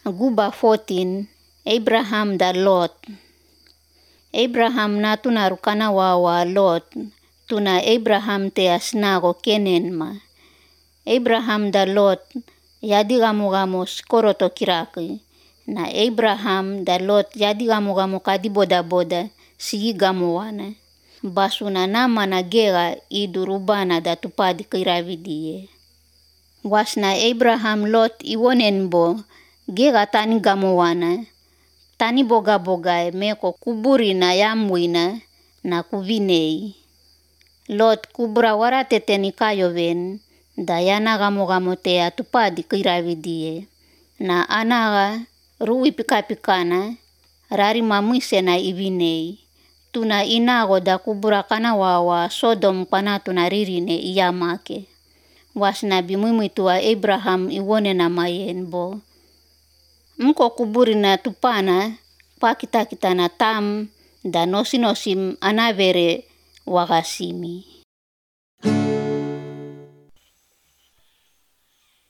Guba 14, Abraham da Lot. Abraham na tuna rukana wawa Lot, tuna Abraham te asnago kenen ma. Abraham da Lot, yadi gamu skoroto kiraki. Na Abraham da Lot yadi gamu kadi boda sigi gamuwana. Basuna nama na gera idurubana da tupadi kiravidie. Wasna Abraham Lot iwonen bo, gera tani gamuwana. Tani boga meko kuburi na yamwina na kuvinei. Lot kubura warate teni kayoven, da yana gamu te atupadi kiravidie. Na anaga rui pikana, rari mamuise na ivinei. Tuna inago da kubura kana wawa Sodom pana tuna ririne iyamake. Wasna bimuimitua Abraham iwone na mayen bo. Mko kuburi na tupana, pakita na tam da nosim anavere wakasimi.